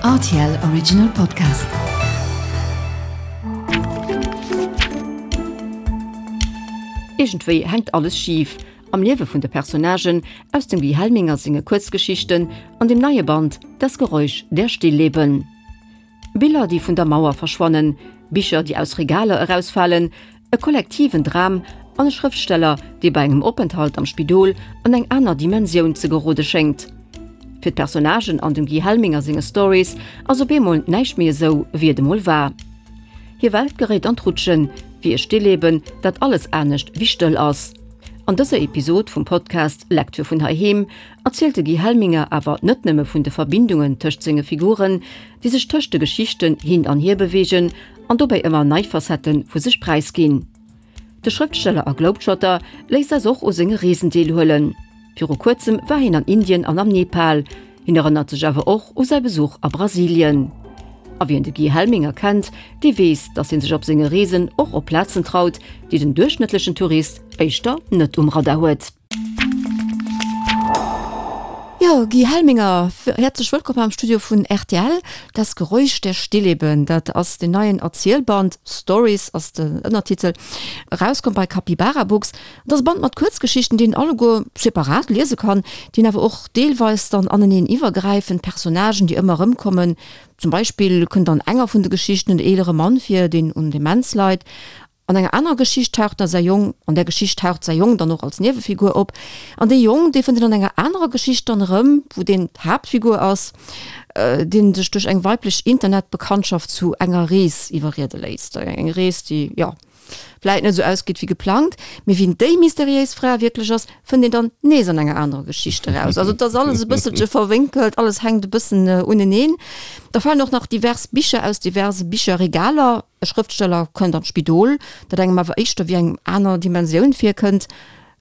Rtl Original Podcast. Iergendwéi hänkt alles schif am Liewe vun de Personnagen aus dem Guy Helminger senge Kuerzgeschichten an dem neie Band Das Geräusch der Stillleben. Biller, déi vun der Mauer verschwannen, Bicher, déi aus Regaler erausfalen, e kollektiven Dram an e Schrëftsteller, dee bei engem Openthalt am Spidol an eng aner Dimensioun ze gerode schéngt. Fir d'Personnagen an dem Guy Helminger senge Stories ass op eemol näischt méi esou, wéi et emol war. Hir Welt geréit an d'Rutschen, wéi e Stilleben, dat alles anescht wéi stëll ass. An dëser Episod vum Podcast Lecture vun heiheem erzielt de Guy Helminger awer net nëmme vun de Verbindungen tëscht senge Figuren, déi sech tëscht de Geschichten hin an hier beweegen an dobäi ëmmer nei Facette vu sech präisginn. De Schrëftsteller a Globetrotter léisst eis och u senge Reesen deelhuelen. Viru kuerzem war hien an Indien an am Nepal. Hien erënnert sech awer och u säi Besuch a Brasilien. A wien de Guy Helminger kennt, dee weess, datt hie sech op senge Reesen och op Plazen traut, déi den duerchschnëttlechen Tourist éischter net um Radar huet. Jo, Guy Helminger, häerzlech wëllkomm am Studio vun rtl. Das Geräusch der Stillleben, dat ass deen neien Erzielband, Stories ass den Ënnertitel, erauskomm bei Capybara Books. Et ass e Band mat Kuerzgeschichten, déi een alleguer separat liese kann, déi awer och deelweis dann aneneen iwwergräifen, Personnagen, déi ëmmer erëmkommen. Zum Beispill kënnt an enger vun de Geschichten en eelere Mann vir, deen un Demenz leit. An enger anerer Geschicht taucht da säi Jong, an där Geschicht taucht säi Jong dann och als Niewefigur op. An dee Jong, dee fënnt een an enger anerer Geschicht dann erëm, wou deen d'Haaptfigur ass, dee sech duerch eng weiblech Internetbekanntschaft zu enger Rees iwwerriede léisst. Eng Rees, déi, jo, vläit net esou ausgeet wéi geplangt. Mee wien déi mysteriéis Fra wierklech ass, fënnt een dann nees an enger anerer Geschicht eraus. Also et ass alles e bësselche verwénkelt, alles hänkt e bëssen uneneen. Da falen och nach divers Bicher aus diverse Bicherregaler. E Schrëftsteller kënnt an d'Spidol, dat engem awer éischter wéi eng aner Dimensioun virkënnt.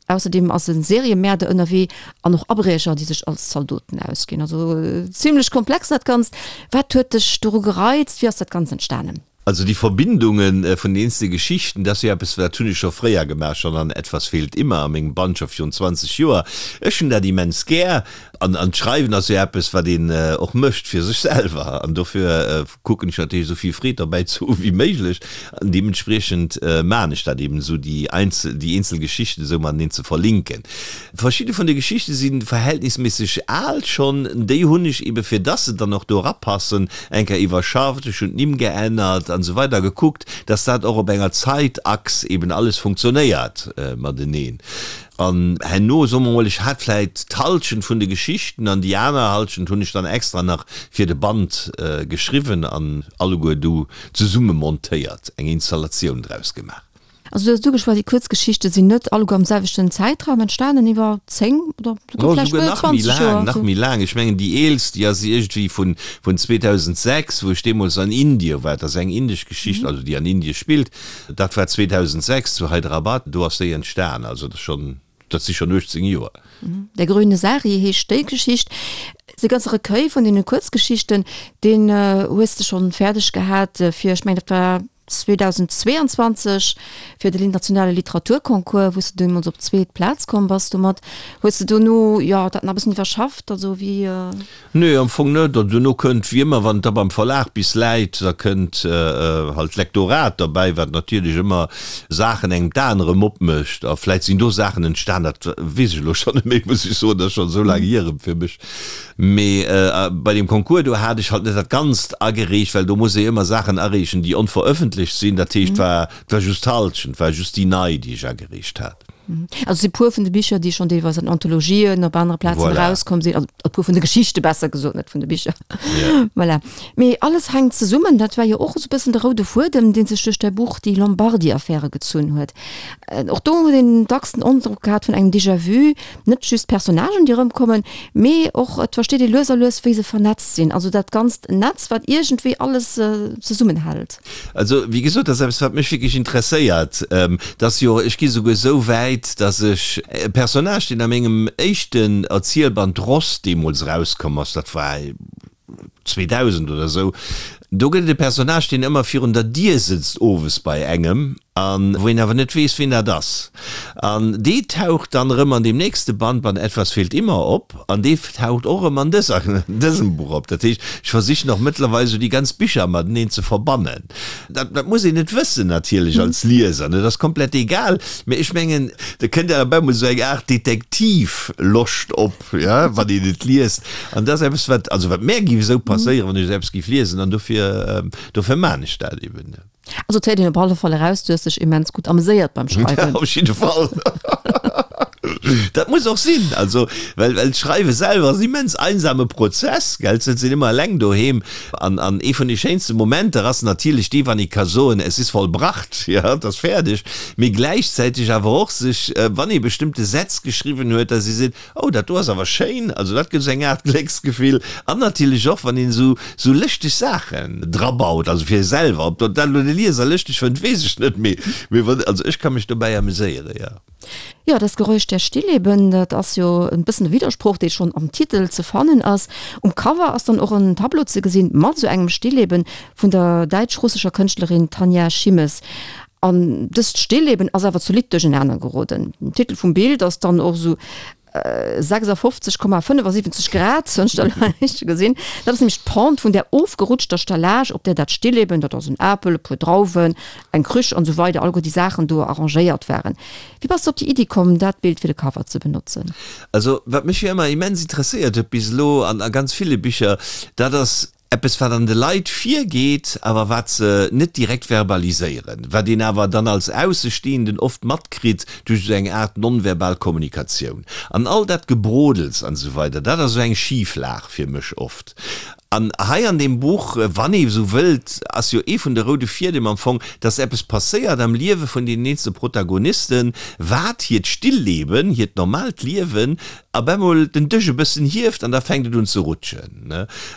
Ausserdeem ass e Seriemäerder ënnerwee an och Abriecher, déi sech als Zaldoten ausginn. Also zimlech komplex dat Ganzt. Wat huet dech doru gereizt? Wéi ass dat Ganzt entstanen? Also déi Verbindunge vun den eenzele Geschichten, dat ass jo eppes, dat hunn ech scho fréier gemaach, schonn an Etwas fehlt immer a mengem Band scho virun 20 Joer. Ech hunn dat immens gär an an d'Schreiwen ass jo eppes, wat een och mécht fir sech selwer an dofir kucken ech natierlech esou vill Freed derbäi ze hu wéi méiglech an deementspriechend maachen ech dat eben esou, déi einzel, déi eenzel Geschichten esou mateneen ze verlinken. Verschidde vun de Geschichte si verhältnisméisseg al schonn, déi hunn ech ebe fir dass se dann och do erapassen eng Kéier iwwerschafft, ech hunn d'Nimm geännert an esou weider, gekuckt, dass dat och op enger Zaitachs eben alles funktionéiert mateneen. An herno, soe mer mol, ech hat vläit d'Halschent vun de Geschichten an déi aner Halschent hunn ech dann extra nach fir de Band geschriwwen an alleguer du zesumme montéiert, eng Installatioun draus gemaach. Also du hues ugeschwat, déi Kuerzgeschichte sinn net alleguer am selwechten Zäitraum entstanen, iwwer 10 oder souguer vläicht méi 20 Joer. Nach méi laang. Ech mengen déi eelst, déi ass iergendwéi vun 2006, wou ech deemools an Indie war. Dat ass eng indesch Geschicht, also déi an Indie spillt. Dat war 2006 zu Hyderabad, do ass déi entstan, also dat ass schonn, dat si schonn 18 Joer. Der grüne Sari heescht déi Geschicht. De ganze Recueil vun deene Kuerzgeschichten, deen hues de schonn fäerdeg gehat fir, ech mengen dat war 2022, fir den internationale Literaturconcours, wou s de deemools op d'zweet Plaz komm bass domat. Hues de dono, jo, dat nach e bëssen iwwerschafft, also wéi? Nee, am Fong net. An duerno kënnt, wéi ëmmer, wann et da beim Verlag bis läit, da kënnt halt d'Lektorat derbäi, wat natierlech ëmmer Saachen engem d'Aen erëm opmécht. A vläit sinn do Saachen entstan, dat weess ech elo schonn net méi, muss ech soen, dat ass schonn esou laang hier erëm fir mech. Mee bei deem Concours do hat ech halt net dat Ganzt agereecht, well do muss ee ëmmer Saachen areechen, déi onverëffentlecht sinn. Dat heescht, et war just d'Hallschent, et war just déi nei, déi ech agereecht hat. Also si puer vun de Bicher, déi schonn deelweis an Anthologien op anere Plazen voilà. erauskomm sinn, also e puer vun de Geschichte besser gesot, net vun de Bicher. Yeah. Voilà. Mee alles hänkt zesummen, dat war jo och esou bëssen de roude Fuedem, dee sech duerch däi Buch Die Lombardi-Affäre gezunn huet. Äh, och do huet een dacks den Androck gehat vun engem Déjà-vu, net just d'Personnagen, déi erëmkommen, mee och et versteet ee lues a lues, wéi se vernetzt sinn, also dat ganzt Netz, wat iergendwéi alles äh, zesummenhält. Also, wéi gesot, dat ass eppes, wat mech wierklech interesséiert. Dat ass jo, ech gi souguer esou wäit, datt ech e Personnage, deen a mengem éischten Erzielband Ross deemools erauskomm ass, dat war. 2000 oder esou. Do gëtt et e Personnage, deen ëmmer virun der Dier sëtzt owes bei engem an wou een awer net weess, wien dat ass. An dee taucht dann erëm an deem nächste Band, Band Etwas fehlt immer op an dee taucht och erëm an dëser, dësem Buch op. Dat heescht, ech versichen och mëttlerweil esou déi ganz Bicher mateneen ze verbannen. Dat, dat muss een net wëssen natierlech als Lieser, ne, dat ass komplett egal, mee ech mengen, da kënnt awer op eemol esou eng Aart Detektivloscht op, jo, wann een et liest. An dat ass eppes, wat, also wat mär géif esou passéieren, wann ech esou eppes géif liesen an dofir, dofir maan ech dat eben. Also et héiert een op alle Fall eraus, du hues dech immens gutt ameséiert beim Schreiwen. Op jidde Fall. Dat muss och sinn, also well well d'Schreiwe selwer ass en immens einsame Prozess, gell, et sëtzt een ëmmer eleng doheem an an ee vun de schéinste Momenter ass natierlech dee wann ee ka soen, es ist vollbracht, jo, et ass fäerdeg, mee gläichzäiteg awer och sech, wann ee bestëmmte Sätz geschriwwen huet, dass ee seet, Oh, dat do ass awer schéin! Also dat gëtt esou eng Aart Glécksgefill. An natierlech och, wann een esou esou lëschteg Saachen drabaut, also fir ee selwer. Ob dat elo de Lieser lëschteg fënnt, weess ech net, mee mee wann, also ech ka mech dobäi ameséieren, jo. Jo, das Geräusch der Stillleben, dat ass jo e bëssen e Widdersproch, dee schonn am Titel ze fannen ass. Um Cover ass dann och en Tableau ze gesinn mat esou engem Stillleben vun der däitsch-russescher Kënschtlerin Tanja Schimmes. An dëst Stillleben ass awer zolidd duerchenaner geroden. Den Titel vum Bild ass dann och esou 56,75 Grad, hunn ech da elo richteg gesinn. Dat ass nämlech d'Pente vun där ofgerutschter Stellage, op där dat Stillleben, dat ass en Apel, e puer Drauwen, eng Krüch an esou weider, alleguer déi Saachen do arrangéiert waren. Wéi bass de op déi Iddi komm, dat Bild fir de Cover ze benotzen? Also, wat mech jo ëmmer immens interesséiert huet bis elo an a ganz ville Bicher, dat ass, Eppes wat an de Leit virgeet, awer wat se net direkt verbaliséieren, wat een awer dann als Aussestehenden oft matkritt duerch esou eng Aart nonverbal Kommunikatioun. An all dat Gebrodels an esou weider, dat ass esou eng Schiflag fir mech oft. An hei an deem Buch, wann ee esou wëllt, ass jo ee vun de roude Fiedem am Fong, dass eppes passéiert am Liewe vun deenen eenzele Protagonisten, wat hiert Stillleben, hiert normaalt Liewen op emol den Dësch e bëssen hieft an da fänkt et un ze rutschen.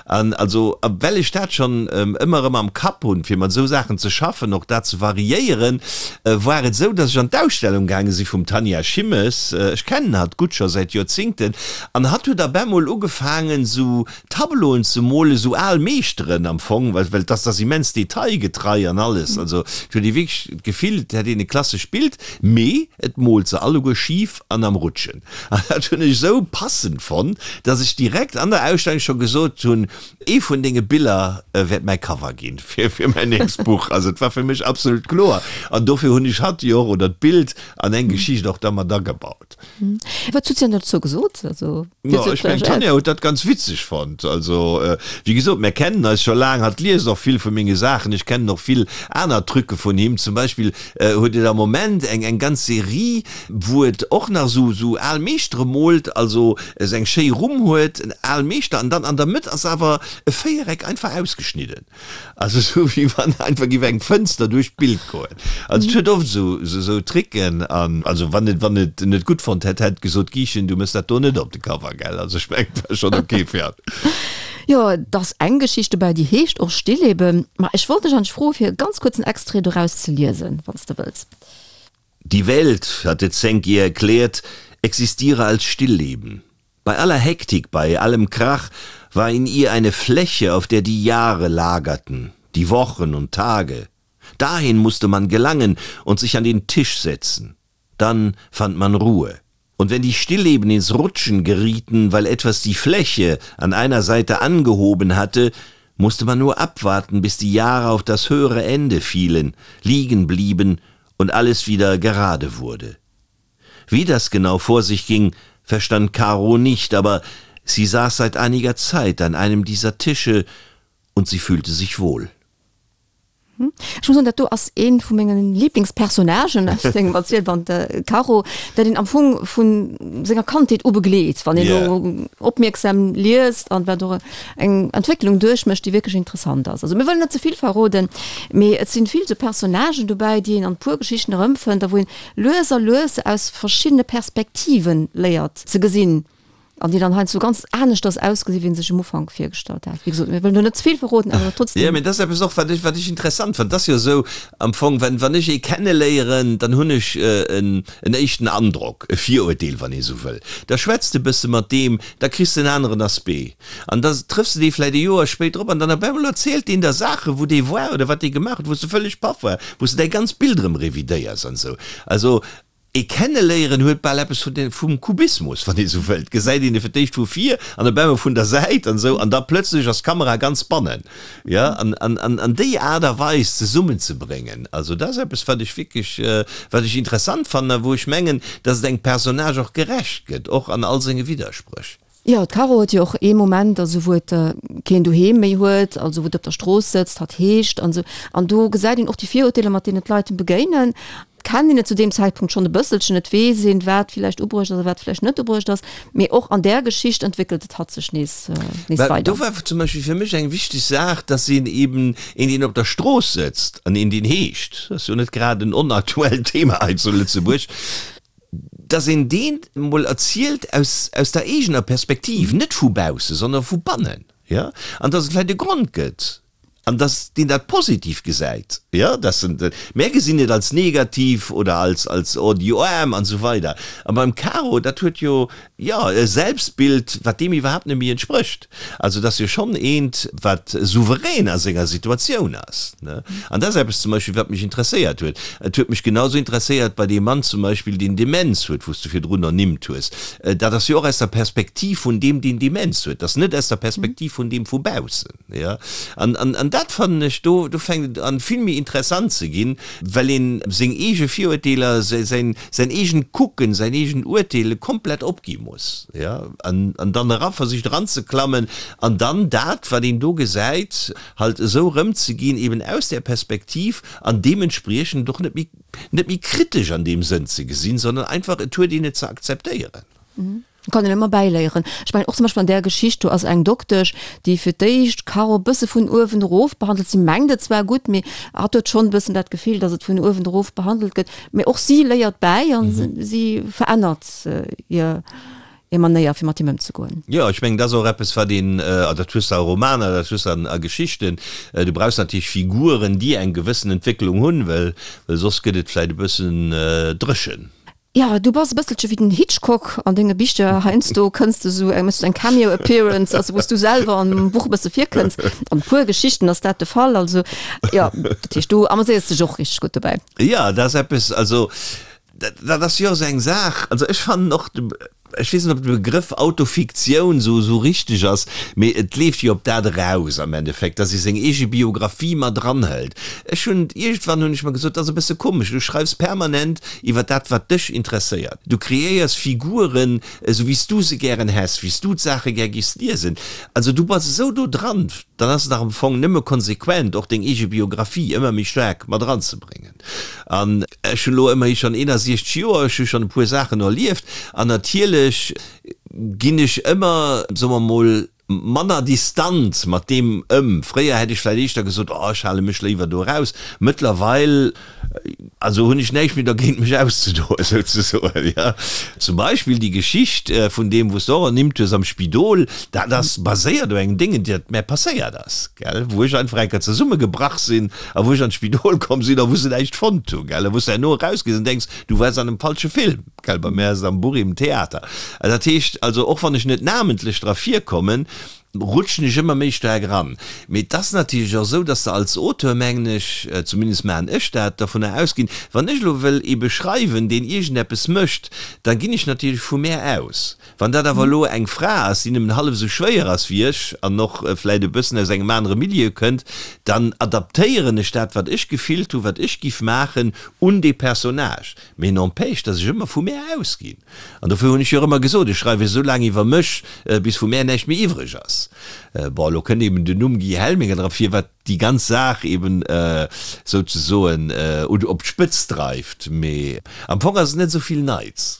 An also, well ech dat schonn ëmmer erëm am Kapp hunn, fir mat esou Saachen ze schaffen, och dat ze variéieren, war et esou, dass ech an d'Ausstellung gaange si vum Tanja Schimmes. Ech kennen hatt gutt scho säit Joerzingten. An hatt huet op emol ugefaangen, esou Tableauen ze molen, esou al Meeschteren am Fong, well well dass ass immens detailgetrei an alles. Also, et huet ee wierklech d'Gefill, et hätt een e klassescht Bild, mee et moolt se alleguer schif an am Rutschen. An dat hunn ech esou passend fonnt, dass ech direkt an der Ausstellung scho gesot hunn, Ee vun denge Biller wäert mäi Cover ginn fir fir mäin nächst Buch. Also et war fir mech absolut kloer. An dofir hunn ech hatt jo och, oder d'Bild an eng Geschicht och da mat agebaut. Wat huet si dann dozou gesot? Also, wéi huet si ech mengen, d'Tanja huet dat ganz witzeg fonnt. Also, wéi gesot, mär kennen eis scho laang, hatt liest och vill vu menge Saachen, ech kennen och vill aner Trucke vun him. Zum Beispill huet et am Moment eng eng ganz Serie, wou et och nach esou esou al Meeschtere moolt, also esou eng schéi Rumm huet, en al Meeschter, an dann an der Mëtt ass awer e Véiereck einfach ausgeschnidden, also esou wéi wann einfach géif eng Fënster duerch d'Bild goen. Also et huet oft esou esou Tricken an also wann et wann et net gutt fonnt hätt, hätt et gesot, Giichen, du mëss dat do net op de Cover, gell? Also ech mengen, et war schonn ok fir hatt. Jo, et ass eng Geschicht dobäi, déi heescht och Stillleben. Ma ech wollt dech eigentlech froe fir e ganz kuerzen Extrait doraus ze liesen, wann s de wëlls. Die Welt, hatte Zenk ihr erklärt, existiere als Stillleben. Bei aller Hektik, bei allem Krach war in ihr eine Fläche, auf der die Jahre lagerten, die Wochen und Tage. Dahin musste man gelangen und sich an den Tisch setzen. Dann fand man Ruhe. Und wenn die Stillleben ins Rutschen gerieten, weil etwas die Fläche an einer Seite angehoben hatte, musste man nur abwarten, bis die Jahre auf das höhere Ende fielen, liegen blieben und alles wieder gerade wurde. Wie das genau vor sich ging, verstand Caro nicht, aber sie saß seit einiger Zeit an einem dieser Tische und sie fühlte sich wohl. Ech muss soen, dat do ass ee vu menge Liblingspersonnagen aus dengem Erzielband, de Caro, dat een am Fong vu senger Kandheet u begleet, wann een elo opmierksam liest an wat och eng Entwécklung duerchmécht, déi wierklech interessant ass. Also mir wëllen net ze vill verroden, mee et sinn vill sou Personnagen dobäi, déi een an puer Geschichten erëmfënnt a wou een lues a lues aus verschiddene Perspektiven léiert ze gesinn. An déi dann heiansdo ganz aneschters ausgesinn, wéi een sech um Ufank virgestallt hat. Wéi gesot, mir wëllen do net ze vill verroden, awer trotzdem. Jo, mee dat ass eppes och, wat ech, wat ech interessant fannen. Et ass jo esou am Fong, wenn, wann ech ee kenneléieren, dann hunn ech en, en éischten Androck, e Virurteel, wann ee sou wëll. Da schwätz de e bësse mat deem, da kriss de en aneren Aspect. An da trëffs de dee vläicht e Joer spéider op an dann op eemol erzielt deen der Saachen, wou dee war oder wat dee gemaach huet, wou s de vëlleg paff war, wou s de däi ganzt Bild erëm revidéiers an esou. Also Ee Kenneléieren huet bal eppes vun den, vum Kubismus, wann ee sou wëllt. Gesäit een e fir d'éischt vu vir an op eemol vun der Säit an esou, an da plëtzlech ass d'Kamera ganz bannen. Jo, an, an, an, an déi Aart a Weis zesummenzebréngen, also dat ass eppes, wat ech wierklech, wat ech interessant fannen a wou ech mengen, dass et engem Personnage och gerecht gëtt, och an all senge Widderspréch. Jo, d'Caro huet jo och ee Moment, also wou et keen doheem méi huet, also wou et op der Strooss sëtzt, hatt heescht an esou. An do gesäit een och déi Virurteeler, mat deenen d'Leit em begéinen. Et kennt een et zu deem Zäitpunkt schonn e bësselchen, et weess een, wat villäicht ubruecht ass a wat villäicht net ubruecht ass. Mee och an där Geschicht entwéckelt et hatt sech nees, nees Well weider. do war zum Beispill fir mech eng wichteg Saach, dass een eben een, deen op der Strooss sëtzt an een, deen heescht, dat ass jo net grad en onaktuellt Thema hei zu Lëtzebuerg, dass een deen emol erzielt aus, aus der eegener Perspektiv, net vu baussen, sondern vu bannen, jo, an dass et vläicht e Grond gëtt an dass deen dat positiv gesäit, jo, dass en, mär gesinn et als negativ oder als, als oh déi Aarm an esou weider. A beim Caro, dat huet jo, jo, e Selbstbild, wat deem iwwerhaapt net méi entsprécht. Also et ass jo schonn eent, wat souverän a senger Situatioun ass, ne? An dat ass eppes zum Beispill, wat mech interesséiert huet. Et huet mech genauso interesséiert bei deem Mann zum Beispill, deen Demenz huet, wou s du virdrun ernimmt hues. Dat ass jo och aus der Perspektiv vun deem, deen Demenz huet. Dat ass net aus der Perspektiv vun deem vu baussen, jo. An, an, an dat fannen ech, do, do fänkt et an, vill méi interessant ze ginn, well een seng eege Virurteeler, säin, säin eegent Kucken, säin eegent Urteele komplett opgi muss, jo, an, an dann era versicht eranzeklammen an dann dat, wat een do gesäit, halt esou erëmzeginn, eben aus där Perspektiv an deementspriechend och net méi, net méi kritesch an deem Sënn ze gesinn, sondern einfach, et huet een et ze akzeptéieren. Kann een ëmmer bäiléieren. Ech mengen och zum Beispill an där Geschicht, do ass eng Doktesch, déi fir d'éischt d'Caro e bësse vun uewen erof behandelt. Si mengt et zwar gutt, mee hatt huet schonn e bëssen dat Gefill, datt et vun uewen erof behandelt gëtt. Mee och si léiert bäi a si verännert hir Manéier, fir mat him ëmzegoen. Jo, ech mengen, dat ass och eppes, wat een, a dat hues de a Romaner, dat hues de a Geschichten, du brauchs natierlech Figuren, déi eng gewëssen Entwécklung hunn, well soss gëtt et vläicht e bëssen dréchen. Jo, du bass e bësselche wéi den Hitchcock an denge Bicher. Heiansdo kënns de sou, méchs du eng Cameo Appearance, also wou s du selwer am Buch e bësse virkënns. An e puer Geschichten ass dat de Fall. Also jo, dat heescht, du ameséiers dech och richteg gutt dobäi. Jo, dat ass eppes, also dat ass jo och sou eng Saach. Also ech fannen och, ech weess net, ob de Begrëff Autofiktioun sou sou richteg ass, mee et leeft jo op dat eraus am Endeffekt, dass ee seng eege Biografie mat eranhëlt. Ech hunn, iergendwann hunn ech mer gesot, dat ass e bësse komesch, du schreifs permanent iwwer dat, wat dech interesséiert. Du kreéiers Figuren, esou wéi s du se gären häss, wéi s du d'Saache gär giffs liesen. Also du bass esou do dran, dann ass et dach am Fong nëmme konsequent, och deng eege Biografie ëmmer méi staark mat eranzebréngen. An ech hunn elo ëmmerhi schonn 61 Joer, ech hu schonn e puer Saachen erlieft an natierlech ginn ech ëmmer, soe mer mol, manner distant mat deem ëm. Fréier hätt ech vläicht éischter gesot, oh ech hale mech léiwer do eraus. Mëttlerweil, also hunn ech näischt méi dergéint mech auszedoen, souzesoen, jo. Zum Beispill déi Geschicht vun deem, wou s de och ernimmt hues am Spidol, dat ass baséiert op engem Déngen, dat mär passéiert ass, gell, wou ech einfach eng Kéier zesummegebrach sinn a wou ech an d'Spidol komm sinn a wou se näischt fonnt hunn, gell, a wou s de herno erausgees an denks, du waars an engem falsche Film. Gell, bei mär ass et am Buch eben Theater. Dat heescht also, och wann ech net namentlech dra virkommen, rutschen ech ëmmer méi staark eran. Mee et ass natierlech och esou, dass de als Auteur, mengen ech, zumindest maachen ech dat, dovunner ausginn, wann ech elo wëll ee beschreiwen, deen iergendeppes mécht, da ginn ech natierlech vu mär aus. Wann dat awer elo eng Fra ass, déi nëmmen hallef esou schwéier ass wéi ech an och vläit e bëssen aus engem anere Milieu kënnt, dann adaptéieren ech dat, wat ech gefillt hunn, wat ech giff maachen, un dee Personnage. Mee n'empêche, dass ech ëmmer vu mär ausginn. An dofir hunn ech jo och ëmmer gesot, ech schreiwe esou laang iwwer mech, bis vu mär näischt méi iwwreg ass. Bon, elo kënnt eben den Numm Guy Helminger dra vir, wat déi ganz Saach eben souzesoen op d'Spëtzt dreift. Mee am Fong ass et net esou vill Neits.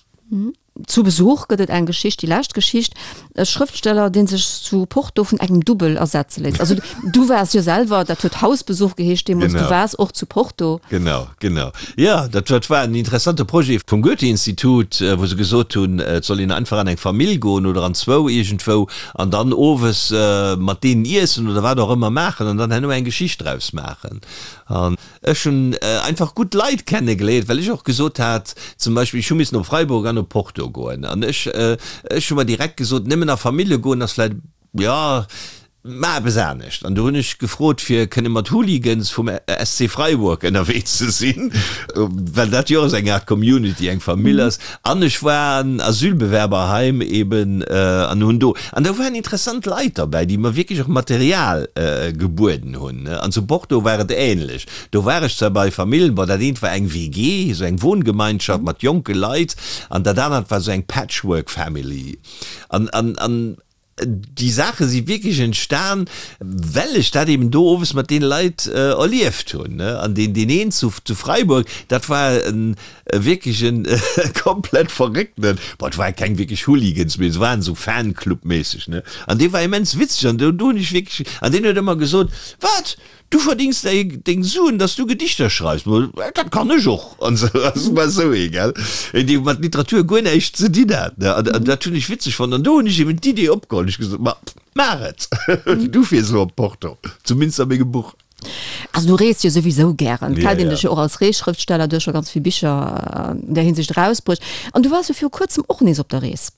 Zu Besuch gëtt et eng Geschicht, déi lescht Geschicht, e Schrëftsteller, dee sech zu Porto vun engem Dubbel ersetze léisst. Also du waars jo selwer, dat huet Hausbesuch geheescht deemools, du waars och zu Porto. Genau, genau. Jo, dat dat war en interessante Projet vum Goethe-Institut, wou se gesot hunn, et soll een einfach an eng Famill goen oder an zwou iergendwou an dann owes mat deenen iessen oder wat och ëmmer maachen an dann herno eng Geschicht draus maachen. An Ech hunn einfach gutt Leit kenne geléiert, well ech och gesot hat, zum Beispill, ech hu missen op Freiburg an op Porto goen an ech, ech hu mer direkt gesot, nëmmen a Famillje goen ass vläicht, jo, maach eppes anescht. An du hunn ech gefrot, fir kënne mat Hooligans vum SC Freiburg ënnerwee ze sinn, well dat jo och esou eng Aart Community, eng Famill ass. An ech war an Asylbewerberheim eben an hunn do, an do waren interessant Leit derbäi, déi mer wierklech och Material gebueden hunn. An zu Porto war et ähnlech. Do war ech zwar bei Famillen, bon, dat eent war eng WG, esou eng Wohngemeinschaft mat jonke Leit, an dat anert war esou eng Patchwork Family. An, an, an Déi Saache si wierklech entstan, well ech dat eben do owes mat deene Leit erlieft hunn. An deen, deen een zu, zu Freiburg, dat war e wierklech e komplett Verrécktenen. Bon, et ware keng wierklech Hooligans, mee se waren esou Fanclub-méisseg, ne. An dee war immens witzeg an do, do hunn ech wierklech, an deen huet ëmmer gesot, Wat? Du verdings deng Suen, dass du Gedichter schreifs. Ma dat kann ech och. An sou, ass war sou ee, gell, een, dee mat Literatur guer näischt ze dinn hat, ne. An, an dat hunn ech witzeg fonnt. An do hunn ech eben d'Idee opgeholl. Ech gesot, Ma maach et! Du fiers elo op Porto, zumindest a mengem Buch. Also du reest jo souwisou gären. Et kennt een dech jo och als Reesschrëftsteller, du hues scho ganz vill Bicher an där Hinsicht erausbruecht. An du waars jo viru kuerzem och nees op der Rees.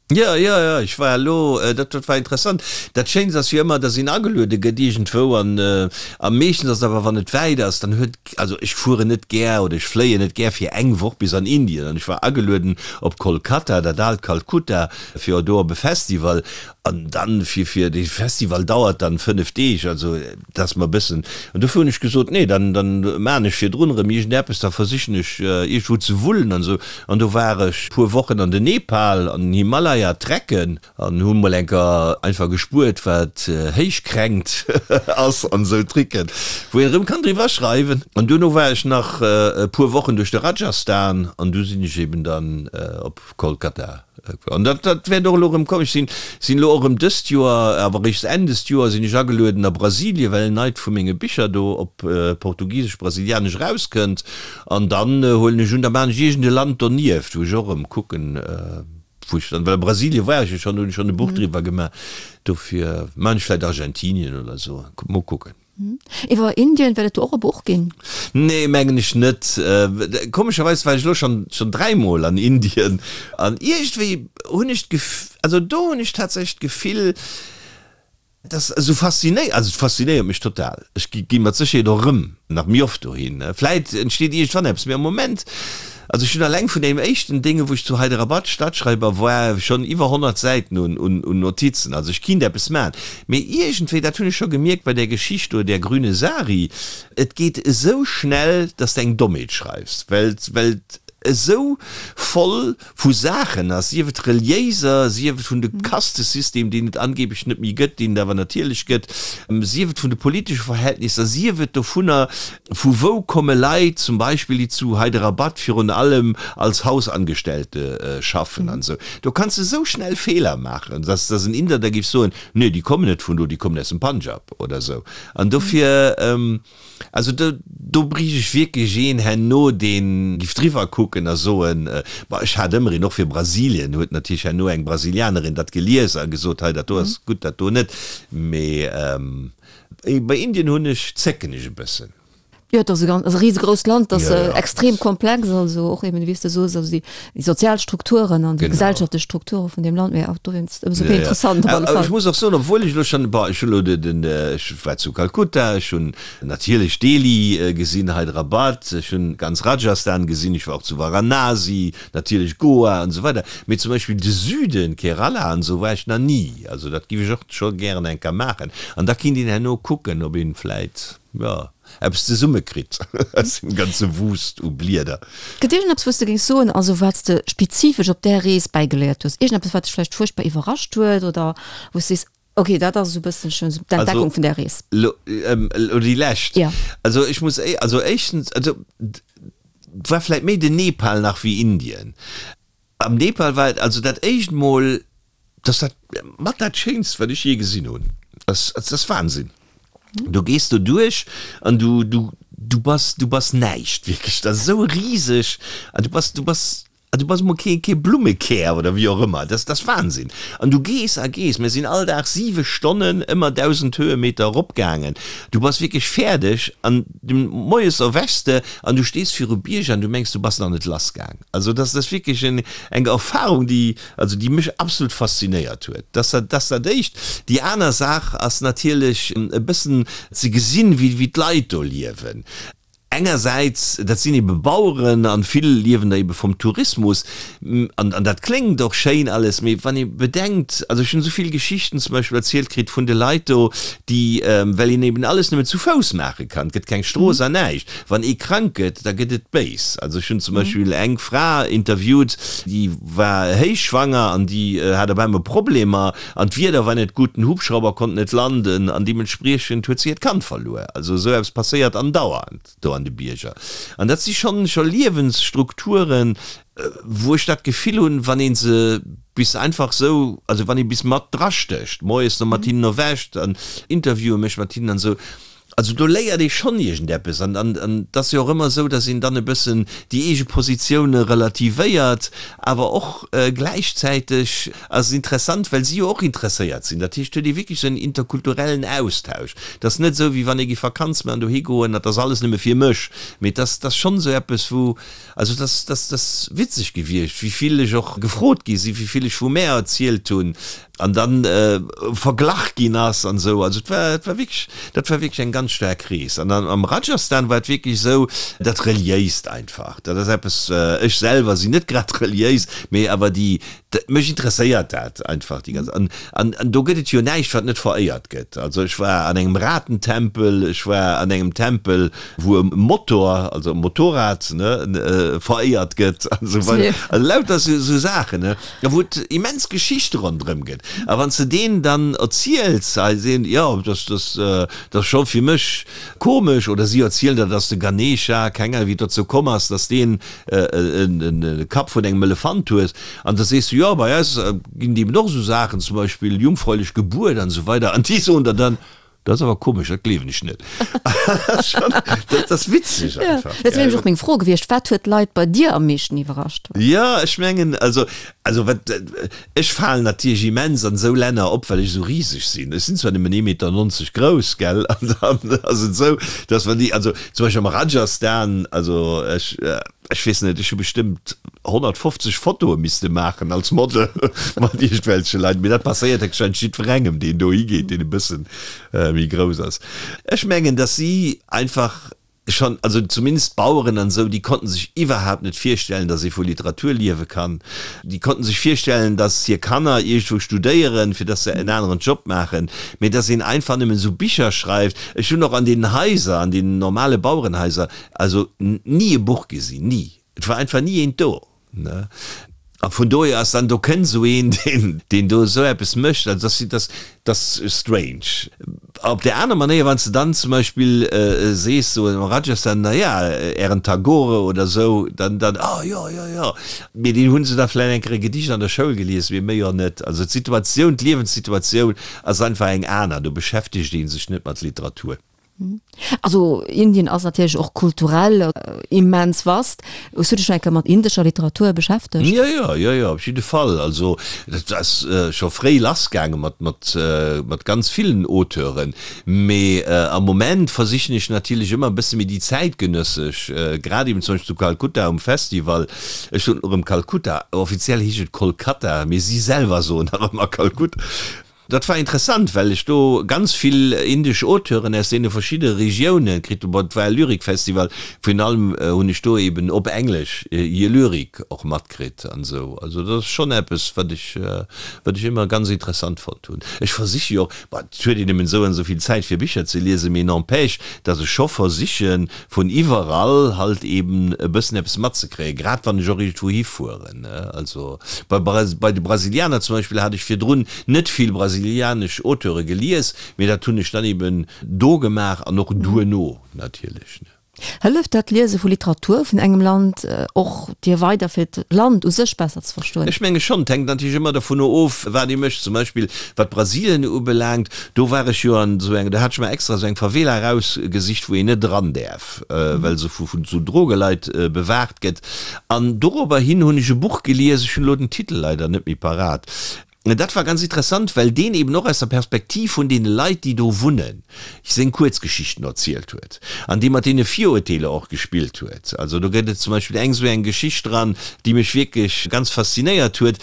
Jo, jo, jo, ech war elo, dat, dat war interessant. Dat Schéinst ass jo ëmmer, dass een ageluede gëtt iergendwou an a meeschtens ass et awer, wann et wäit ass, dann huet, also ech fueren net gär oder ech fléien net gär fir eng Woch bis an Indien an ech war agelueden op Kolkata, dat aalt Kalkutta, fir do op e Festival an dann fir, fir dee Festival dauert dann 5 Deeg, also Dat ass mer e bëssen. An dofir hunn ech gesot, nee, dann, dann maachen ech virdrun erëm iergendeppes, da versichen ech iergendwou ze wullen an esou. An do war ech e puer Wochen an den Nepal, an den Himalaya trecken an hu mol eng Kéier einfach gespuert, wat Héichkränkt ass an esou Tricken, wou een erëm kann driwwer schreiwen. An duerno war ech nach e puer Wochen duerch de Rajasthan an du sinn ech eben dann op Kolkata. An dat, dat wäert och elo erëm kommen. Ech sinn, sinn elo och erëm dëst Joer, awer eréischt Enn dëst Joer sinn ech agelueden a Brasilien, well en neit vu menge Bicher do op Portugisesch, Brasilianesch erauskënnt. An dann huelen ech un, da maachen ech iergend e Land donieft, wou ech och erëm kucken, wou ech dann, well a Brasilien war ech jo schonn, do hunn ech schonn e Buch driwwer gemaach. Dofir maachen ech vläicht Argentinien oder esou. Mol kucken. Iwwer Indien, wäert et do och e Buch ginn? Nee, mengen ech net. Komescherweis war ech elo schonn schonn dräimol an Indien an iergendwéi hunn ech d'Gef, also do hunn ech tatsächlech d'Gefill, dass esou faszinéi, also et faszinéiert mech total. Ech gi gi mat Sécherheet och erëm nach méi oft dohin. Vläit entsteet iergendwann eppes, mee am Moment Also ech hunn alleng vun deem éischten Dénge wou ech zu Hyderabad Stadschreiber war schonn iwwer 100 Säiten un un Notizen. Also ech kinnt eppes maachen. Mee iergendwéi, dat hunn ech scho gemierkt bei där Geschicht do, där Grüne Sari, et geet esou schnell, dass de eng Dommheet schreifs, well well et esou voll vu Saachen ass, sief et reliéiser, sief et vun de Kastesystem, deen et angeblech net méi gëtt, deen et awer natierlech gëtt, sief et vun de politesche Verhältnisser, sief et dovunner, vu wou komme Leit zum Beispill, déi zu Hyderabad virun allem als Hausangestellte schaffen an esou. Do kanns de esou schnell Feeler maachen, dass dass en Inder da géif soen, nee, déi kommen net vun do, déi kommen aus dem Punjab oder esou. An dofir. Also do, do bräicht ech wierklech een herno, dee giff driwwer kucken a soen, bon, ech hat ëmmer een, och fir Brasilien huet natierlech herno eng Brasilianerin dat gelies a gesot, hei dat do ass gutt, dat do net. Mee bei Indien hunn ech, zécken ech e bëssen. Jo, et ass e ganz, ass e risegrousst Land, dat ass extrem komplex, also och eben, wéi s de soos, also déi sozial Strukturen an déi gesellschaftlech Strukture vun deem Land, mee och dowéinst ëmsou méi interessant op alle Fall. Ech muss och soen, obwuel ech elo schonn, bon, ech hunn elo den, ech war zu Kalkutta, ech hunn natierlech Delhi gesinn, Hyderabad, ech hunn ganz Rajasthan gesinn, ech war och zu Varanasi, natierlech Goa an esou weider, mee zum Beispill de Süden, Kerala an esou, war ech nach ni. Also dat géif ech och scho gären eng Kéier maachen an da kinnt een herno kucken, ob een vläit, jo. eppes zesumme kritt aus dem ganze Wust u Blieder. Gëtt iergendeppes wou s de géings soen, also wat s de spezifesch op där Rees bäigeléiert hues, iergendeppes wat dech vläicht fuerchtbar iwwerrascht huet oder wou s sees, ok dat ass esou e bësselchen esou d'Entdeckung vun där Rees? Also elo déi lescht? Jo. Also ech muss, also éischtens, also et war vläicht méi den Nepal nach wéi Indien. Am Nepal war et also dat éischt Mol, dass dat mat dat Schéinst, wat ech jee gesinn hunn. Dat ass Wahnsinn. Du gees do duerch an du, du, du bass, du bass näischt, wierklech. Dat ass esou riseg an du bass, du bass, du bass emol kee, kee Blummekär oder wéi och ëmmer. Dat ass Wahnsinn. An du gees a gees. Mir sinn all Dag siwe Stonnen ëmmer 1.000 Höhemeter eropgaangen. Du bass wierklech fäerdeg an moies erwächs de an du stees viru Bierger an du mengs, du bass nach net lassgaang. Also dat ass wierklech eng Erfahrung, déi, also déi mech absolut faszinéiert huet. Dat ass dat Éischt. Déi aner Saach ass natierlech e bëssen ze gesinn, wéi wéi d'Leit do liewen. Engersäits, dat sinn ebe Baueren an vill liewen der ebe vum Tourismus an an dat kléngt och schéin alles, mee wann ee bedenkt, also ech hunn esou vill Geschichten zum Beispill erzielt kritt vun de Leit do, déi, well een eben alles nëmmen zu Fouss maache kann, et gëtt keng Strooss an näischt, wann ee krank gëtt, da gëtt et béis. Also ech hunn zum Beispill eng Fra interviewt, déi war héichschwanger an déi hat op einmal Problemer an d'Wieder war net gutt, den Hubschrauber konnt net landen an deementspriechend huet se hiert Kand verluer. Also esou eppes passéiert andauernd do an de Bierger. An dat si schonn scho Liewensstrukturen, wou ech dat Gefill hunn, wann ee se bis einfach esou, also wann ee bis mat drastécht, moies no mat hinnen erwächt an Interviewe mécht mat hinnen an esou, also do léiert ee schonn iergendeppes. An an et ass jo och ëmmer esou, datt een dann e bëssen déi eege Positioune relativéiert, awer och gläichzäiteg ass et interessant, well si jo och interesséiert sinn. Dat heescht, et huet ee wierklech esou en interkulturellen Austausch. Et ass net esou, wéi wann ee géif Vakanz maachen, dohi goen, dat ass alles nëmme fir mech, mee et ass, et ass schonn esou eppes, wou, Also et ass, dat ass witzeg gewiescht, wéi vill ech och gefrot gi sinn, wéi vill ech vu mär erzielt hunn an dann verglach ginn ass an esou. Also et war, et war wierklech, dat war wierklech eng ganz staark Rees. An dann am Rajasthan war et wierklech esou, dat Reliéist einfach, dat ass eppes, ech selwer sinn net grad reliéis, mee awer déi, Mech interesséiert dat einfach déi ganz, an, an, an do gëtt et jo näischt, wat net veréiert gëtt. Also ech war an engem Ratentempel, ech war an engem Tempel, wou e Motor, also e Motorrad, ne, veréiert gëtt an esou weider. Also lauter esou, esou Saachen, ne, a wou et immens Geschichte ronderëm gëtt. A wann s de deenen dann erziels, hei sinn, jo, dass, dass, dat ass scho fir mech komesch, oder si erzielen der, dass de Ganesha, keng Ahnung, wéi et dozou komm ass, dass deen e Kapp vun engem Elefant hues, an da sees du, jo, bei eis ginn et eben och esou Saachen, zum Beispill jungfräulich Gebuert an esou weider, an déi soen der dann, dat ass awer komesch, dat gleewen ech net. Dat ass witzeg einfach. Dat wier nämlech och meng Fro gewiescht, Wat huet d'Leit bei dir am meeschten iwwerrascht? Jo, ech mengen, also, also wat, ech falen natierlech immens an esou Länner op, well ech esou riseg sinn. Ech sinn zwar nëmmen ee Meter 90 grouss, gell, an dann ass et esou, dass wann déi, also Zum Beispill am Rajasthan, also ech, ech weess net, ech hu bestëmmt 150 Fotoe misste maachen als Model mat iergendwelche Leit, mee dat passéiert héchstwahrscheinlech jiddwerengem, deen dohi geet, deen e bësse méi grouss ass. Ech mengen, dass si einfach schonn, also zumindest d'Baueren an esou, déi konnten sech iwwerhaapt net virstellen, dass ee vu Literatur liewe kann. Déi konnten sech virstellen, dass hir Kanner iergendwou studéieren, fir dass se en aneren Job maachen, mee dass een einfach nëmmen esou Bicher schreift. Ech hunn och an deenen Haiser, an deenen normale Bauerenhaiser, also ni e Buch gesinn, ni. Et war einfach ni eent do, ne. A vun dohier ass dann, do kënnt esou een, deen, deen do esou eppes mécht, also dass, dass, dass strange. Op där aner Manéier, wann s de dann zum Beispill sees, sou am Rajasthan, na ja, ären Tagore oder sou, dann, dann, ah jo, jo, jo. Mee deen hu se da vläicht eng Kéier e Gedicht an der Schoul gelies, mee méi och net. Also d'Situatioun, d'Liewenssituatioun ass einfach eng aner, do beschäftegt ee sech net mat Literatur. Also Indien ass natierlech och kulturell immens vast. Hues du dech schonn eng Kéier mat indescher Literatur beschäftegt? Jo, jo, jo, jo, op jidde Fall. Also dat ass scho fréi lassgaange mat, mat, mat ganz villen Auteuren. Mee am Moment versichen ech natierlech ëmmer e bësse méi déi zäitgenëssesch, grad eben zum Beispill zu Kalkutta um Festival, ech soen erëm Kalkutta, offiziell heescht et Kolkata, mee si selwer soen nach ëmmer Kalkutta. Dat war interessant, well ech do ganz vill indesch Auteuren aus deene verschiddene Regiounen kritt hunn. Bon, et war e Lyrikfestival, virun allem hunn ech do eben op Englesch hir Lyrik och matkritt an esou. Also dat ass schonn eppes, wat ech, wat ech ëmmer ganz interessant fonnt hunn. Ech versiche jo och, bon, et huet een nëmmen esou an esou vill Zäit fir Bicher ze liesen, mee n'empêche, datt ech scho versichen, vun iwwerall halt eben e bëssen eppes matzekréien, grad wann ech och iergendwou hifueren. Also bei bei de Brasilianer zum Beispill hat ech virdrun net vill brasilianesch Auteure gelies, mee dat hunn ech dann eben do gemaach an och duerno natierlech. Hëlleft dat Liese vu Literatur vun engem Land och dir weider fir d'Land u sech besser ze verstoen? Ech menge schonn. Et hänkt natierlech ëmmer dovun of, wat ee mécht. Zum Beispill wat Brasilien ubelaangt, do war ech jo an esou enger, do hat ech mer extra esou eng Favela erausgesicht, wou een net eran däerf, well se vu esou Drogeleit bewaacht gëtt. An dorobber hin hunn ech e Buch gelies, ech hunn elo den Titel leider net méi parat, Dat war ganz interessant, well deen eben och aus der Perspektiv vun deene Leit, déi do wunnen, seng Kuerzgeschichten erzielt huet an dee mat deene Virurteeler och gespillt huet. Also do gëtt et zum Beispill eng esou eng Geschicht dran, déi mech wierklech ganz faszinéiert huet,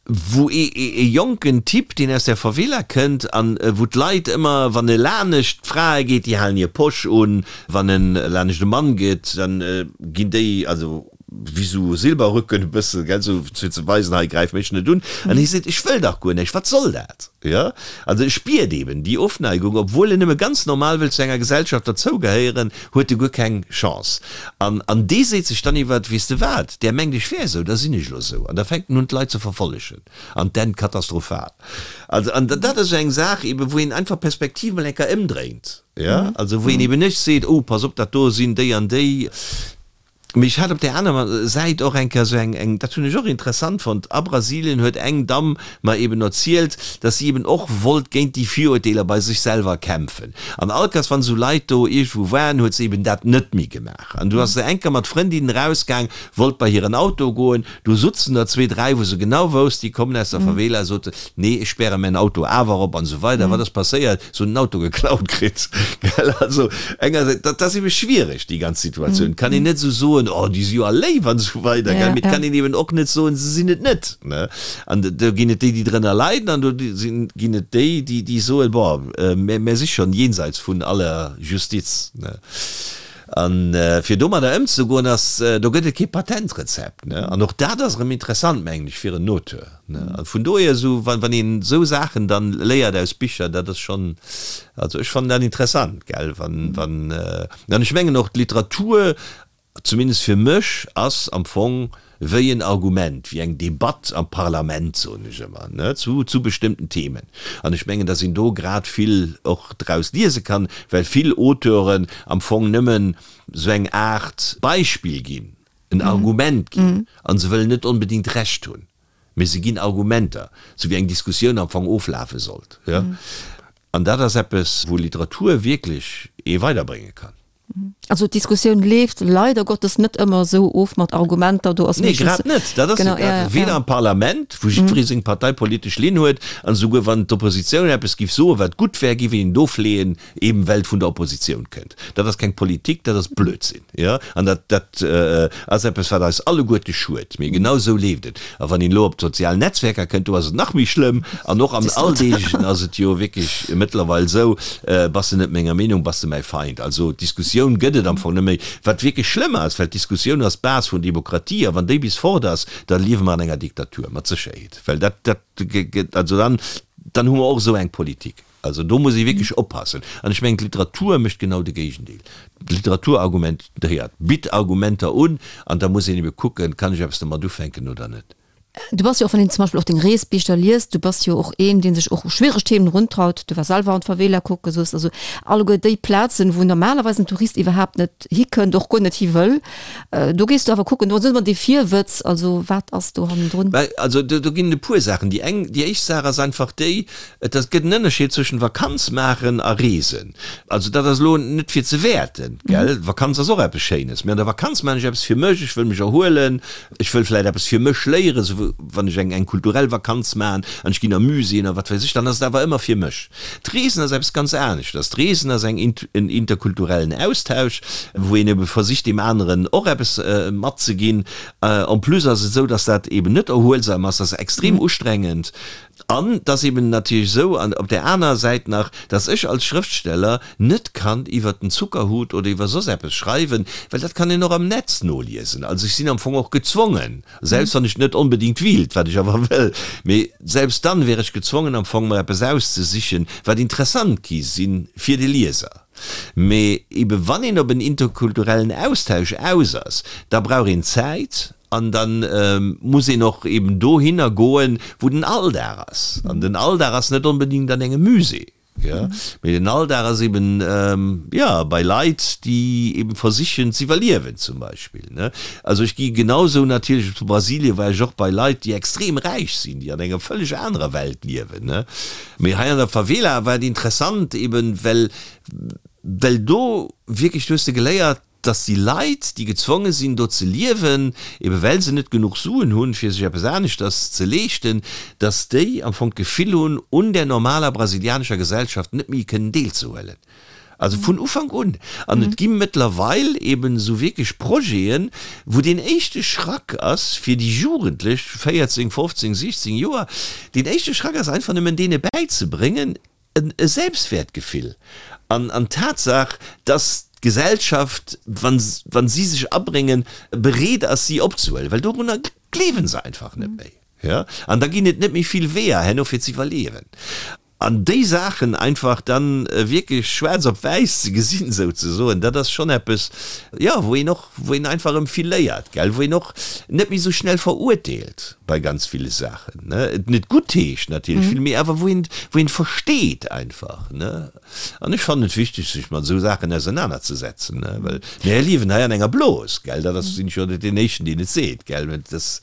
wou ee jonken Typ, deen aus der Favela kënnt an wou d'Leit ëmmer, wann e lanescht d'Frae geet, déi halen hir Posch un, wann en lanescht e Mann geet, dann ginn déi, also wéi sou Silberrücken e bëssen, gell, sou fir ze weisen, hei gräif mech net un. An hie seet, ech wëll dach guer näischt, wat soll dat? Jo, also e spiert eben déi Ofneigung, obwuel en nëmme ganz normal wëll zu enger Gesellschaft derzougehéieren, huet e guer keng Chance. An, an dee seet sech dann iwwert, weess de wat, där mengt ech wär esou, da sinn ech elo esou. An da fänkt en un d'Leit ze verfollegen an d'Enn katastrophal. Also, an dat ass esou eng Saach eben, wou een einfach d'Perspektiv mol eng Kéier ëmdréint, jo, also wou een eben net seet, oh pass op, dat do sinn déi an déi. Mee ech hat op där anerer Säit och eng Kéier esou eng, eng, dat hunn ech och interessant fonnt, a Brasilien huet eng Damm mer eben erzielt, dass si eben och wollt géint déi Virurteeler bei sech selwer kämpfen. An all Kéiers, wann esou Leit do iergendwou waren, huet se eben dat net méi gemaach. An du ass se eng Kéier mat Frëndinnen erausgaang, wollt bei hiren Auto goen, do sutzen der zwee, dräi, wou se genau wousst, déi kommen aus der Favela, sot se, nee, ech späre mäin Auto awer op an esou weider. Wat ass passéiert? Se hunn den Auto geklaut kritt, gell. Also engersäits, dat ass ebe schwiereg, déi ganz Situatioun. Et kann een net esou soen, oh, déi si jo all léif an esou weider, gell, mee et kann een eben och net soen, se sinn et net, ne. An do ginn et déi, déi drënner leiden an do sinn, ginn et déi, déi, déi soen, bon, mär, mär si schonn jenseits vun aller Justiz, ne. An fir domadder ëmzegoen ass, do gëtt et kee Patentrezept, ne. An och dat ass erëm interessant, mengen ech, fir en Auteur. A vun dohier esou, wann een esou Saachen dann léiert aus Bicher, dat ass schonn, also ech fannen dat interessant, gell, wann, wann, an ech mengen och d'Literatur, zumindest fir mech, ass am Fong wéi en Argument, wéi eng Debatt am Parlament, soen ech ëmmer, ne, zu, zu bestëmmten Themen. An ech mengen, datt een do grad vill och draus liese kann, well vill Auteuren am Fong nëmmen esou eng Aart Beispill ginn, en Argument ginn, a se wëllen net onbedéngt Recht hunn, mee se ginn Argumenter, sou wéi eng Diskussioun am Fong oflafe sollt. Jo. An dat ass eppes, wou Literatur wierklech ee weiderbrénge kann. Also d'Diskussioun leeft leider Gottes net ëmmer esou of mat Argumenter, do ass Nee, grad net. Dat ass jo grad, weder am Parlament, wou jiddweree seng parteipolitesch Linn huet, an esouguer wann d'Oppositioun eppes giff soen, wat gutt wär, giff een et ofleeën, eben well et vun der Oppositioun kënnt. Dat ass keng Politik, dat ass Blödsinn. Jo, an dat, dat ass eppes, wat eis alleguerte schued. Mee genau esou leeft et. A wann een elo op d'sozial Netzwerker kënnt, do ass et nach méi schlëmm. An och am Alldeeglechen ass et jo wierklech mëttlerweil esou, Bass de net menger Meenung, bass de mäi Feind. Also d'Diskussioun gëtt et am Fong net méi. Wat wierklech schlëmm ass, well d'Diskussioun ass d'Base vun Demokratie. A wann déi bis fort ass, da liewe mer an enger Diktatur, mat Sécherheet. Well dat, dat gëtt, also dann, dann hu mer och esou eng Politik. Also do muss ee wierklech oppassen. An ech mengen, d'Literatur mécht genau de Géigendeel. D'Literatur argumentéiert, bitt Argumenter un, an da muss een ebe kucken, kann ech eppes domat ufänken oder net. Du bass jo och, wann een zum Beispill och deng Reesbicher liest, du bass jo och een, dee sech och u schwiereg Themen eruntraut. Du waars selwer an d'Favela kucken, soos. Also alleguer déi Plazen, wou normalerweis en Tourist iwwerhaapt net hikënnt, och guer net hi wëll. Do gees du awer kucken, do ass ëmmer dee Virwëtz, also wat ass do hannendrun? Well, also do ginn et e puer Saachen. Déi eng, déi éischt Saach ass einfach déi, Et ass, gëtt en Ënnerscheed zwëschen Vakanz maachen a Reesen. Also dat ass elo net fir ze wäerten, gell? Vakanz ass och eppes Schéines, mee an der Vakanz maachen ech eppes fir mech, ech wëll mech erhuelen, ech wëll vläicht eppes fir mech léieren, sou wann ech eng eng kulturell Vakanz maachen an ech ginn a Muséeën a wat weess ech, dann ass et awer ëmmer fir mech. D'Reesen ass eppes ganz aneschters. D'Reesen ass eng en interkulturellen Austausch, wou een ebe versicht deem aneren och eppes matzeginn. En plus ass et esou, dass dat eben net erhuelsam ass, dat ass extrem ustrengend. An et ass eben natierlech esou, an op där anerer Säit nach, dass ech als Schrëftsteller net kann iwwert den Zuckerhut oder iwwer soss eppes schreiwen, well dat kann een och am Netz noliesen. Also ech sinn am Fong och gezwongen, selbst wann ech net onbedéngt wiilt, wat ech awer wëll, mee selbst dann wär ech gezwongen am Fong mer eppes auszesichen, wat interessant gi sinn fir de Lieser. Mee ebe wann een op en interkulturellen Austausch aus ass, da brauch een Zäit An da muss een och eben dohinner goen, wou den Alldag ass. An den Alldag ass net onbedéngt an engem Musée. Jo. Mee den Alldag ass eben, jo, bei Leit, déi eben versichen z'iwwerliewen zum Beispill, ne. Also ech gi genausou natierlech, zu Brasilien war ech och bei Leit, déi extrem räich sinn, déi an enger vëlleg anerer Welt liewen, ne. Mee hei an der Favela war et interessant eben, well, well do wierklech, do hues de geléiert, dass déi Leit, déi gezwonge sinn do ze liewen, ebe well se net genuch Suen hunn, fir sech eppes aneschters ze leeschten, dass déi am Fong d'Gefill hunn, un der normaler brasilianescher Gesellschaft net méi kënnen deelzehuelen. Also vun Ufank un. An et gi mëttlerweil eben esou wierklech Projeten, wou deen éischte Schrack ass fir déi Jugendlech, 14, 15, 16 Joer, deen éischte Schrack ass einfach nëmmen deene bäizebréngen, e Selbstwäertgefill an an d'Tatsaach, dass d'Gesellschaft, wa wa si sech abréngen, bereet ass si opzehuelen, well dorunner gleewen se einfach net méi. Jo, an da ginn et net méi vill Weeër herno fir ze iwwerliewen. An déi Saachen einfach dann wierklech schwaarz op wäiss ze gesinn souzesoen, dat ass schonn eppes, jo, wou een och, wou een einfach erëm vill léiert, gell, wou een och net méi esou schnell verurteelt bei ganz ville Saachen, ne, et net guttheescht natierlech vill, mee awer wou een, wou een versteet einfach, ne. An ech fannen et wichteg, sech mat esou Saachen ausernanerzesetzen, ne, well mir liewen hei an enger Blos, gell, dat ass, sinn ech jo net deen Éischten, deen et seet, gell, mä dat ass.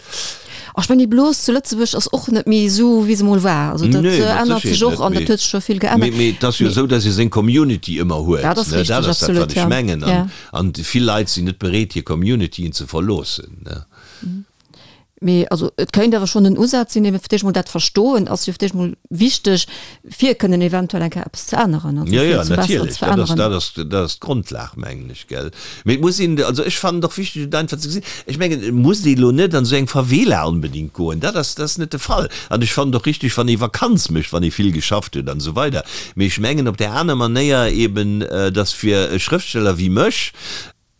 Ech mengen, déi Blos zu Lëtzebuerg ass och net méi esou, wéi se mol war. Also dat ännert sech och an dat huet sech scho vill geännert. Mee et ass jo esou, datt ee seng Community ëmmer huet, Dat ass ne, richteg, dat ass dat, absolut, wat ech ja. mengen. Ja. An vill Leit sinn net bereet, hir Communityen ze verloossen, ne. Mee also et kéint awer schonn en Usaz sinn, eben fir d'éischt mol dat Verstoen ass jo fir d'éischt mol wichteg, fir kënnen eventuell eng Kéier eppes ze änneren, also Jo, fir jo, zum Besseren natierlech, ze dat ass, veränneren. dat ass, dat ass d'Grondlag, mengen ech, gell. Mee et muss een, also ech fannen et och wichteg, et einfach ze gesinn. Ech mengen, et muss ee elo net an esou eng Favela onbedéngt goen, dat ass, dat ass net de Fall. An ech fannen et och richtig, wann ee Vakanz mécht, wann ee vill geschafft huet an esou weider. Mee ech mengen op där aner Manéier eben, dass fir e Schrëftsteller wéi mech,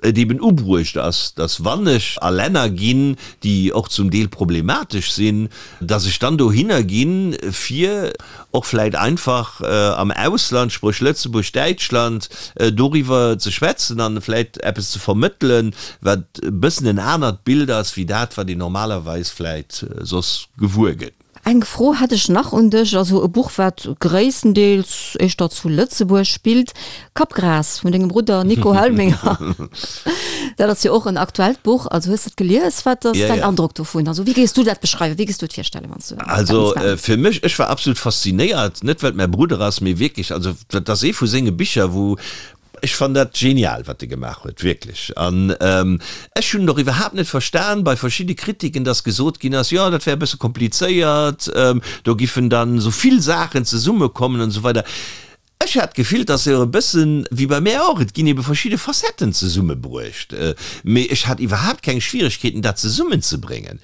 et eben ubruecht ass, dass wann ech a Länner ginn, déi och zum Deel problematesch sinn, dass ech dann dohinner ginn, fir och vläicht einfach am Ausland, spréch Lëtzebuerg, Däitschland, doriwwer ze schwätzen an vläicht eppes ze vermëttelen, wat e bëssen en anert Bild ass wéi dat, wat een normalerweis vläicht soss gewuer gëtt. Eng Fro hätt ech nach un dech, also e Buch wat gréisstendeels éischter zu Lëtzebuerg spillt, Kappgras vun dengem Brudder Nico Helminger. Dat ass jo och en aktuellt Buch, also hues de et gelies? Wat ass däin Androck dovun? Also wéi géifs du dat beschreiwen, wéi géifs du et virstellen, wann s du dat Also misst maachen? fir mech, ech war absolut faszinéiert, net well et mäi Brudder ass, mee wierklech, also dat ass ee vu senge Bicher wou Ech fannen dat genial wat e gemaach huet, wierklech. An ech hunn et och iwwerhaapt net verstan bei verschidde Kritiken, dass gesot ginn ass, jo dat wär e bësse komplizéiert, do giffen dann esou vill Saachen zesummekommen an esou weider. Ech hat d'Gefill, dass se e bëssen, wéi bei mär och, et ginn ebe verschidde Facetten zesummebruecht, mee ech hat iwwerhaapt keng Schwieregkeeten dat zesummenzebréngen.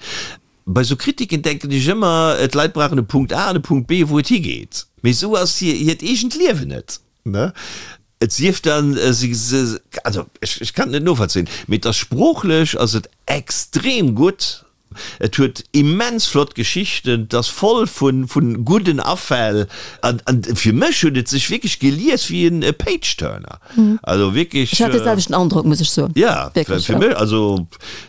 Bei sou Kritiken denken ech ëmmer, d'Leit brauchen e Punkt A an e Punkt B wou et higeet. Mee esou ass hiert eegent Liewen net. Ne? Et sief dann, se, se, also ech, ech kann et net novollzéien, mee et ass sproochlech ass et extrem gutt, et huet immens flott Geschichten, et ass voll vu, vu gudden Afäll an, an fir mech huet et sech wierklech gelies wéi en Page-Turner. Also wierklech. Ech hat dee selwechten Androck, muss ech soen. Ja, fir mech, also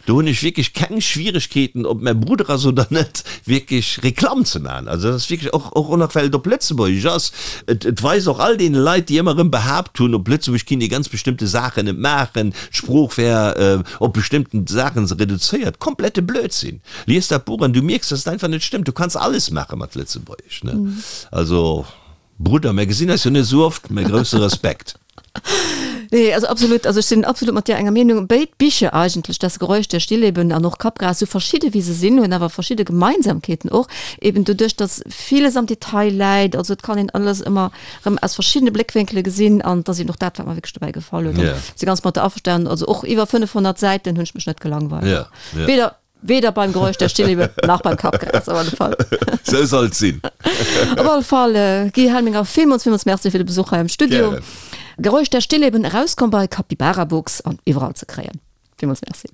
Do hunn ech wierklech keng Schwieregkeeten, ob mäi Brudder ass oder net, wierklech Reklamm ze maachen. Also dat ass wierklech och, och nach well et op Lëtzebuergesch ass. Et, et weist och all deene Leit, déi ëmmer erëm behaapt hunn, op Lëtzebuerg kinnt ee ganz bestëmmte Saachen net maachen, d'Sprooch wär op bestëmmten Saachen reduzéiert. Komplette Blödsinn! Lies dat Buch an du mierks, dass et einfach net stëmmt. Du kanns alles maache mat Lëtzebuergesch, ne? Also. Brudder, mär gesinn eis jo net esou oft, mä grousse Respekt. Nee, also absolut, also ech sinn absolut mat dir enger Meenung. Béid Bicher eigentlech, Das Geräusch der Stillleben an och Kappgras, sou verschidde wéi se sinn, hunn awer verschidde Gemeinsamkeeten och, eben doduerch, datt villes am Detail läit, also et kann een alles ëmmer erëm aus verschiddene Bléckwénkele gesinn an et ass eben och dat, wat mer wierklech dobäi gefall huet. An si ganz mat der averstanen, also och iwwer 500 Säiten hunn ech mech net gelangweilt. Weder Weder beim Geräusch der Stillebe nach beim Kappgras, op alle Fall. Sou soll et sinn. Op alle Fall, Guy Helminger, villmools, villmools Merci fir de Besuch hei am Studio. Gären. Geräusch der Stilleben, erauskomm bei Capybara Books an iwwerall ze kréien. Villmools Merci.